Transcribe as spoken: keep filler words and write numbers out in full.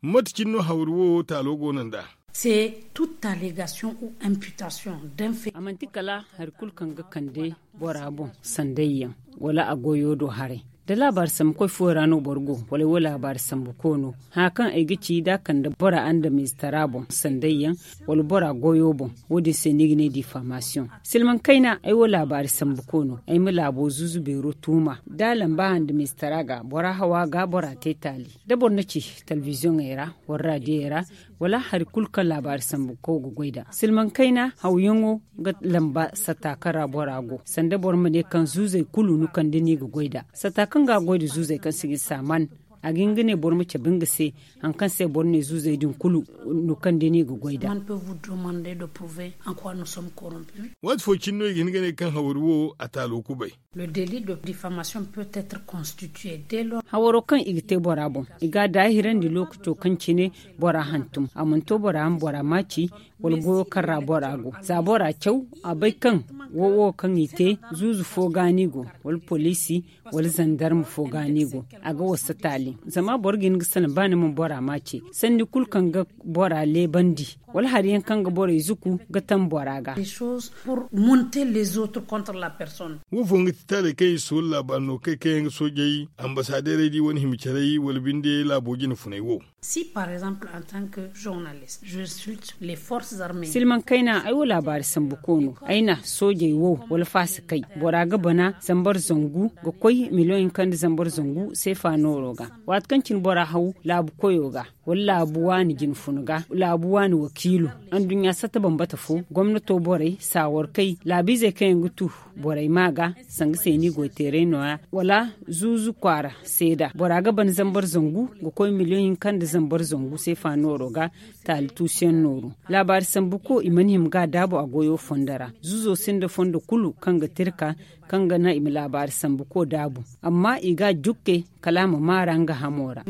Mate cine no hawri wo taalo go no nd'a? C'est toute allégation ou imputation d'un fait. A manti kala hari kulu kaŋ ga kande bora boŋ, sandayyaŋ wala a goyo do haray. Da laabaari sambu koy fooyaŋ ra no boro go, wala ay wo laabaari sambu ko no, haya kaŋ ay ga ci da a kande bora andamiizitara boŋ, sandayyaŋ wala bora goyo boŋ, wo- din se no i ga ne difaamasiyoŋ. Silmaŋ kayna, ay wo laabaari sambu ko no, ay ma laabo zuuzu beero tuuma da a lamba andamiizitara ga bora hawa ga bora te taali. Da boro na ci talbiziyoŋey ra wala raadiyey ra, wala hari kulu kaŋ laabaari sambu ko ga goy nd'a, silmaŋ kayna hawyaŋo ga lamba satta kaŋ ra bora go, sanda boro ma ne kaŋ zuuzey kulu no kaŋ da no i ga goy nd'a. Satta kaŋ ga a goy nda zuuzey kaŋ si ga i saaman, a ga hin ga ne boro ma cabe nga se hari kaŋ se boro ne zuuzey din kulu no kaŋ da no i ga goy nd'a. Waati fo cine no i ga hin ga ne kaŋ hawri wo a taalo kubay. Hawaro kaŋ i ga te bora boŋ, i ga a daahirandi lookaco kaŋ cine bora hantum, a mana to bora ma bora maaci, wala goyo kaŋ ra bora go. Za bora caw, a bay kaŋ wo wo kaŋ i te, zuuzu fo ga no i go, wala poliisi, wala zandarma fo ga no i go, a ga wasa taali. Zama boro ga hin ga salaŋ ba ni mana bora maaci, sanni kulu kaŋ ga bora leebandi, wala hari yaŋ kaŋ ga borey zuku ga taŋ bora ga. Wo fooyaŋ ga ti taaley kaŋ i si wala laabaari no kay kaŋ yaŋ ga soojey, ambasaaderey di wane hima caray wala binde laabo jine funay wo. Silmaŋ kayna, ay wo laabaari sambu ko no, ay na soojey wo wala faasi kay, bora ga bana zambar zangu ga koy miliyoŋ hinka nda zambar zangu seefa nooro ga. Waati kaŋ cine bora haw laabu koyo ga, wala laabu waani jine funa ga, laabu waani wakiilo, anduɲɲa satta bambata fo, gomnato borey, saawarkey, laabiizey kaŋ yaŋ ga tu borey ma ga, sanga se ni goy teeray nooya, wala zuuzu kwaara seeda bora ga ban zambar zangu ga koy miliyoŋ hinka nda zambar zangu seefa nooro ga, taali tuusiyaŋ nooru. Laabaari sambu ko i mana hima ga a daabu a goyo fondo ra. Zuuzo sinda fondo kulu kaŋ ga tirka, kaŋ ga naŋ i ma laabaari sambu ko daabu, amma i ga a jukke kala a ma maara nga hamo ra.